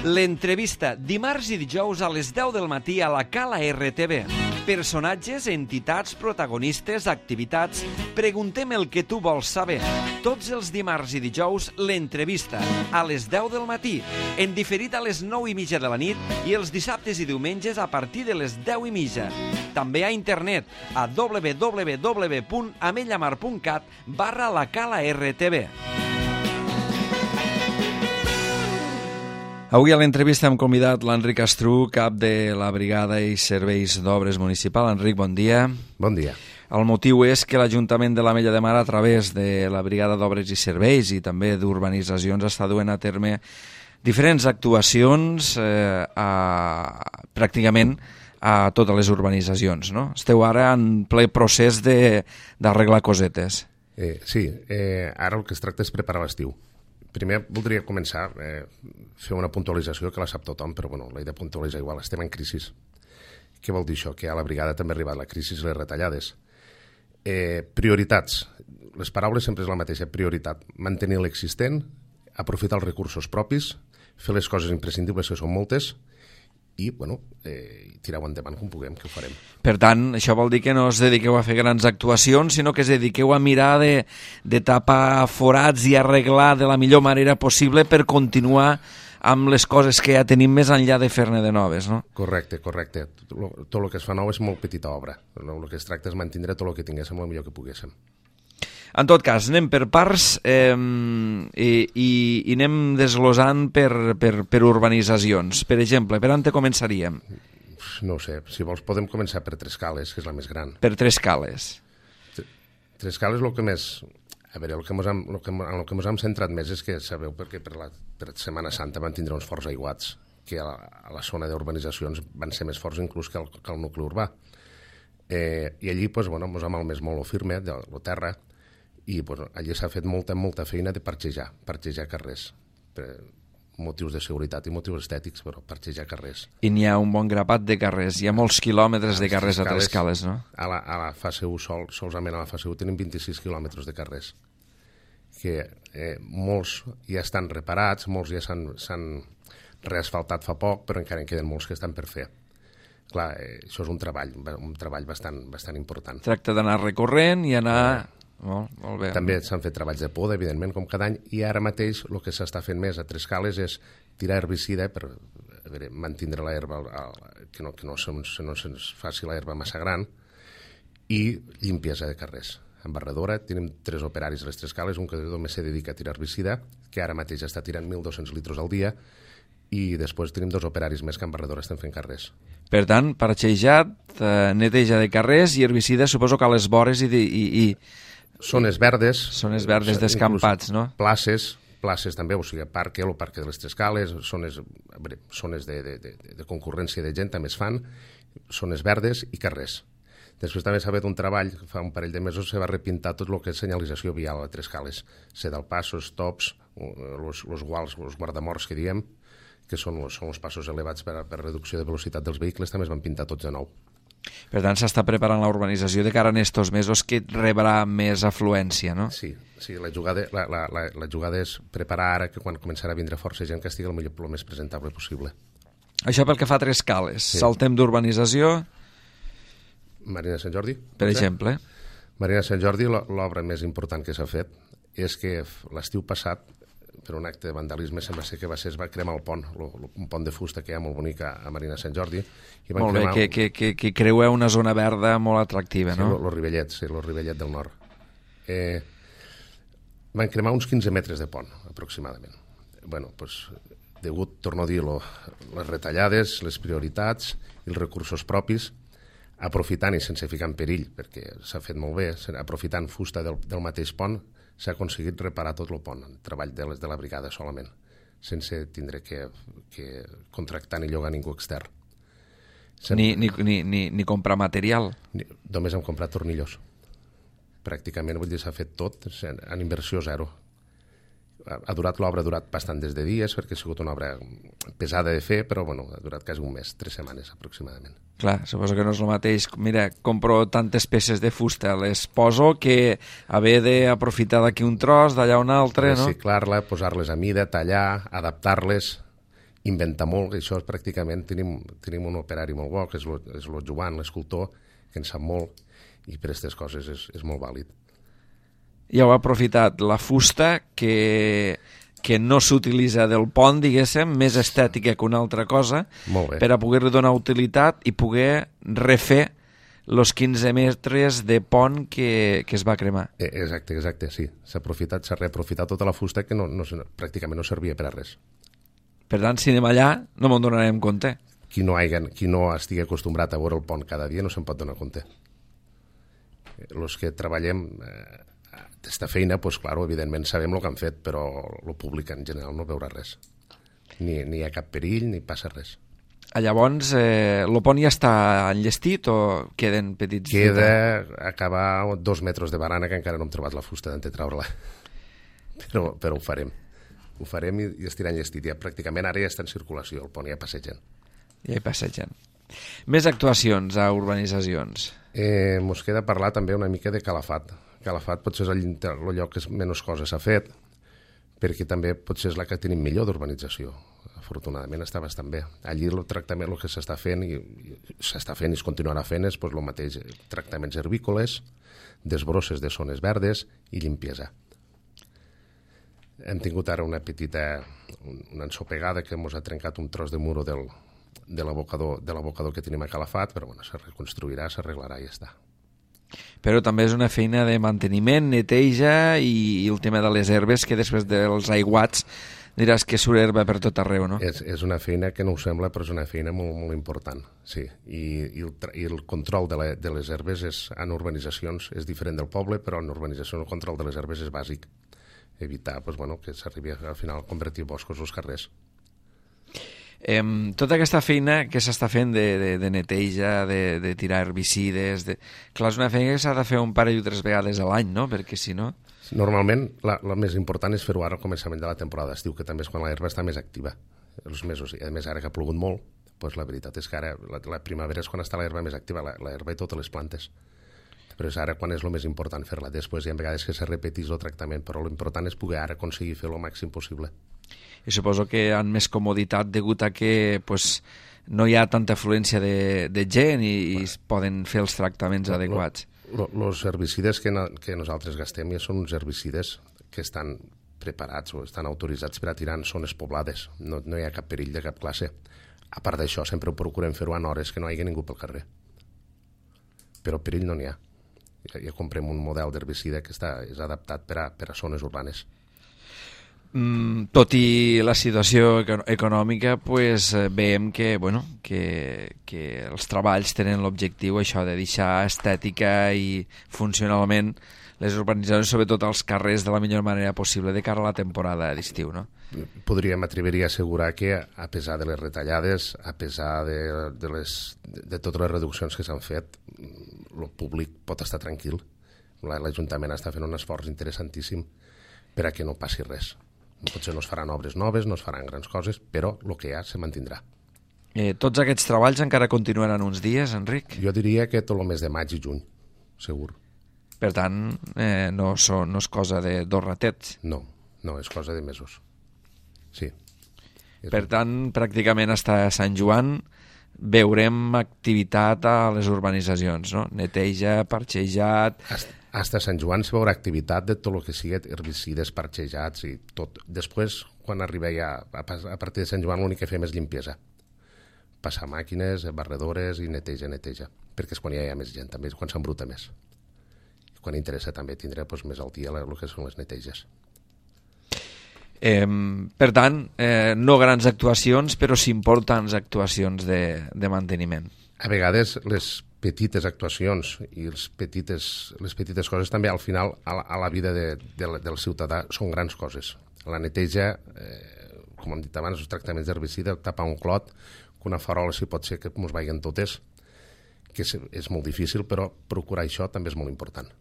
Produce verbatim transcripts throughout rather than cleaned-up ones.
L'entrevista, dimarts i dijous a les deu del matí a la Cala R T V. Personatges, entitats, protagonistes, activitats... Preguntem el que tu vols saber. Tots els dimarts i dijous, l'entrevista, a les deu del matí, en diferit a les nou i mitja de la nit i els dissabtes i diumenges a partir de les deu i mitja. També a internet, a w w w punt ametlla mar punt cat barra la Cala R T V. Avui a l'entrevista hem convidat l'Enric Astrú, cap de la Brigada i Serveis d'Obres Municipal. Enric, bon dia. Bon dia. El motiu és que l'Ajuntament de l'Ametlla de Mar, a través de la Brigada d'Obres i Serveis i també d'Urbanitzacions, està duent a terme diferents actuacions eh, a, pràcticament a totes les urbanitzacions, no? Esteu ara en ple procés d'arreglar cosetes. Eh, sí, eh, ara el que es tracta és preparar l'estiu. Primer voldria començar a eh, fer una puntualització que la sap tothom, però bueno, l'he de puntualitzar igual. Estem en crisi. Què vol dir això? Que a la brigada també ha arribat la crisi i les retallades. Eh, prioritats. Les paraules sempre és la mateixa. Prioritat. Mantenir l'existent, aprofitar els recursos propis, fer les coses imprescindibles, que són moltes, i bueno, eh, tirar-ho endavant com puguem, que ho farem. Per tant, això vol dir que no us dediqueu a fer grans actuacions, sinó que us dediqueu a mirar de, de tapar forats i arreglar de la millor manera possible per continuar amb les coses que ja tenim més enllà de fer-ne de noves, no? Correcte, correcte. Tot, tot el que es fa nou és molt petita obra. El que es tracta és mantenir tot el que tinguéssim el millor que poguéssim. En tot cas, anem per parts eh, i, i, i anem desglosant per, per, per urbanitzacions. Per exemple, per on te començaríem? No ho sé, si vols podem començar per Trescales, que és la més gran. Per Trescales. Trescales el que més... A veure, el que mos hem, el que, en el que ens hem centrat més és que, sabeu, perquè per la per Setmana Santa van tindre uns forts aiguats, que a la, a la zona d'urbanitzacions van ser més forts inclús que el, que el nucli urbà. Eh, I allí, doncs, bueno, ens hem malmès molt el firme, de la terra, i pues, allí s'ha fet molta, molta feina de parxejar, parxejar carrers, per motius de seguretat i motius estètics, però parxejar carrers. I n'hi ha un bon grapat de carrers, hi ha molts quilòmetres de carrers a Trescales, no? A la, a la fase u, sol, solament a la fase u, tenim vint-i-sis quilòmetres de carrers, que eh, molts ja estan reparats, molts ja s'han reasfaltat fa poc, però encara en queden molts que estan per fer. Clar, eh, això és un treball, un treball bastant, bastant important. Tracta d'anar recorrent i anar... Molt, molt bé. També s'han fet treballs de poda, evidentment, com cada any, i ara mateix el que s'està fent més a Trescales és tirar herbicida per a veure, mantindre l'herba, que no, que no, se, no se'ns faci l'herba massa gran, i limpiesa de carrers. En barredora tenim tres operaris a les Trescales, un que només se dedica a tirar herbicida, que ara mateix està tirant mil dos-cents litres al dia, i després tenim dos operaris més que en barredora estem fent carrers. Per tant, parxejat, eh, neteja de carrers i herbicida, suposo que a les vores i... De, i, i... Zones verdes. Zones verdes descampats, no? Places, places també, o sigui, parc, el parc de les Trescales, zones, zones de, de, de, de concurrència de gent també es fan, zones verdes i carrers. Després també s'ha fet un treball, fa un parell de mesos se va repintar tot el que és senyalització vial a Trescales, sedalpassos, stops, els guals, els guardamorts que diem, que són els passos elevats per a reducció de velocitat dels vehicles, també es van pintar tots de nou. Per tant, s'està preparant la urbanització de cara en estos mesos que rebrà més afluència, no? Sí, sí, la jugada, la, la, la, la jugada és preparar ara que quan començarà a vindre força gent que estigui el, millor, el més presentable possible. Això pel que fa a Trescales. Sí. Saltem d'urbanització... Marina Sant Jordi. Per exemple. Marina Sant Jordi, l'obra més important que s'ha fet és que l'estiu passat, per un acte de vandalisme, sembla ser que va ser, es va cremar el pont, un pont de fusta que hi ha molt bonic a Marina Sant Jordi. I van molt bé, cremar... que, que, que, que creueu una zona verda molt atractiva, sí, no? Sí, el Rivellet, sí, el Rivellet del Nord. Eh, van cremar uns quinze metres de pont, aproximadament. Bueno, doncs, degut, torno a dir, lo, les retallades, les prioritats i els recursos propis, aprofitant i sense ficar en perill, perquè s'ha fet molt bé, aprofitant fusta del, del mateix pont, s'ha aconseguit reparar tot el pont, en treball de, les, de la brigada solament, sense tindre que, que contractar ni llogar ningú extern. Ni, ni, ni, ni, ni comprar material? Ni, només hem comprat tornillos. Pràcticament, vull dir, s'ha fet tot en inversió zero. Ha durat l'obra, ha durat bastant des de dies, perquè ha sigut una obra pesada de fer, però bueno, ha durat quasi un mes, tres setmanes aproximadament. Clar, suposo que no és el mateix. Mira, compro tantes peces de fusta, les poso que haver d'aprofitar d'aquí un tros, d'allà un altre, no? Reciclar-la, posar-les a mida, tallar, adaptar-les inventa molt, això és pràcticament, tenim, tenim un operari molt bo, que és el Joan, l'escultor, que en sap molt, i per aquestes coses és, és molt vàlid. I heu aprofitat la fusta que, que no s'utilitza del pont, diguéssim, més estètica que una altra cosa, per a poder-li donar utilitat i poder refer els quinze metres de pont que, que es va cremar. Exacte, exacte, sí. S'ha aprofitat, s'ha reaprofitat tota la fusta que no, no, pràcticament no servia per a res. Per tant, si anem allà, no me'n donarem compte. Qui no, hagi, qui no estigui acostumbrat a veure el pont cada dia no se'n pot donar compte. Els que treballem eh, aquesta feina, doncs, clar, evidentment sabem el que han fet, però el públic en general no veurà res. Ni, ni hi ha cap perill, ni passa res. Llavors, eh, el pont ja està enllestit o queden petits? Queda acabar dos metres de barana, que encara no hem trobat la fusta d'on treure-la. Però, però ho farem. Ho farem i, i estirà enllestit. Ja, pràcticament ara ja està en circulació, el pont ja passegen. Ja hi passegen. Més actuacions a urbanitzacions. Eh, mos queda parlar també una mica de Calafat. Calafat potser és el, el lloc que menys coses s'ha fet, perquè també potser és la que tenim millor d'urbanització. Afortunadament està bastant bé. Allí el tractament, el que s'està fent i, i s'està fent i es continuarà fent és pues, el mateix, tractaments herbícoles, desbrosses de zones verdes i limpiesa. Hem tingut ara una petita una ensopegada que ens ha trencat un tros de muro del, de l'abocador de l'abocador que tenim a Calafat, però bueno, se reconstruirà, s'arreglarà i ja està. Però també és una feina de manteniment, neteja i, i el tema de les herbes, que després dels aiguats diràs que surt herba per tot arreu, no? És, és una feina que no ho sembla, però és una feina molt, molt important, sí. I, i, el, i el control de, la, de les herbes és, en urbanitzacions és diferent del poble, però en urbanització el control de les herbes és bàsic. Evitar pues, bueno, que s'arribi al final a convertir boscos als carrers. Eh, tota aquesta feina que s'està fent de, de, de neteja, de, de tirar herbicides, de... clar, és una feina que s'ha de fer un parell o tres vegades a l'any, no? Perquè si no... Normalment, la, la més important és fer-ho ara al començament de la temporada d'estiu, que també és quan l'herba està més activa. Els mesos, i a més ara que ha plogut molt, doncs la veritat és que ara la, la primavera és quan està l'herba més activa, l'herba i totes les plantes. Però és ara quan és el més important fer-la. Després hi ha vegades que se repetís el tractament, però l'important és poder ara aconseguir fer-lo el màxim possible. I suposo que han més comoditat degut a que pues, no hi ha tanta afluència de, de gent i, i es poden fer els tractaments lo, adequats. Els herbicides que, no, que nosaltres gastem ja són uns herbicides que estan preparats o estan autoritzats per a tirar en zones poblades. No, no hi ha cap perill de cap classe. A part d'això, sempre ho procurem fer-ho en hores que no hi hagi ningú pel carrer. Però perill no n'hi ha. Ja, ja comprem un model d'herbicida que està, és adaptat per a, per a zones urbanes. Mm, tot i la situació econòmica, pues, veiem que, bueno, que, que els treballs tenen l'objectiu això de deixar estètica i funcionalment les urbanitzacions, sobretot als carrers, de la millor manera possible de cara a la temporada d'estiu, no? Podríem atreveria a assegurar que, a pesar de les retallades, a pesar de, de, les, de totes les reduccions que s'han fet, el públic pot estar tranquil. L'Ajuntament està fent un esforç interessantíssim per a que no passi res. Potser no es faran obres noves, no es faran grans coses, però el que hi ha se mantindrà. Eh, tots aquests treballs encara continuaran uns dies, Enric? Jo diria que tot el mes de maig i juny, segur. Per tant, eh, no, so, no és cosa de dos ratets. No, no, és cosa de mesos. Sí. Per tant, pràcticament fins a Sant Joan veurem activitat a les urbanitzacions, no? Neteja, parxejat... Hasta Sant Joan se veurà activitat de tot el que sigui herbicides, parxejats i tot. Després, quan arriba ja a partir de Sant Joan, l'únic que fem és limpiesa. Passar màquines, barredores i neteja, neteja. Perquè és quan ja hi ha més gent, també és quan s'embruta més. I quan interessa també tindrà doncs, més al dia el que són les neteges. Eh, per tant, eh, no grans actuacions, però sí importants actuacions de, de manteniment. A vegades les petites actuacions i els petites, les petites coses també al final a la, a la vida de, de, del ciutadà són grans coses. La neteja, eh, com hem dit abans, els tractaments d'herbicida, tapar un clot, que una farola si pot ser que ens vagin totes, que és, és molt difícil, però procurar això també és molt important.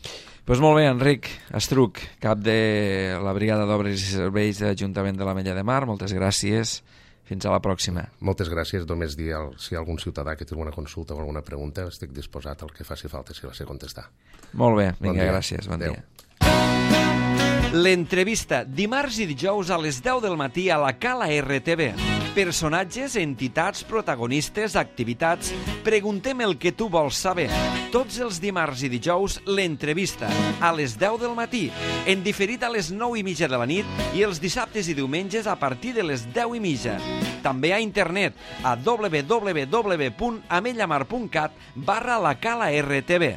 Doncs pues molt bé, Enric Estruch, cap de la Brigada d'Obres i Serveis de l'Ajuntament de l'Ametlla de Mar, moltes gràcies. Fins a la pròxima. Moltes gràcies. Només dir si hi ha algun ciutadà que té alguna consulta o alguna pregunta, estic disposat al que faci falta si la sé contestar. Molt bé, vinga, bon gràcies. Bon Adeu. dia. L'entrevista, dimarts i dijous a les deu del matí a la Cala R T V. Personatges, entitats, protagonistes, activitats... Preguntem el que tu vols saber. Tots els dimarts i dijous, l'entrevista, a les deu del matí, en diferit a les nou i mitja de la nit i els dissabtes i diumenges a partir de les deu i mitja. També a internet a w w w punt amellamar punt cat barra la Cala R T V.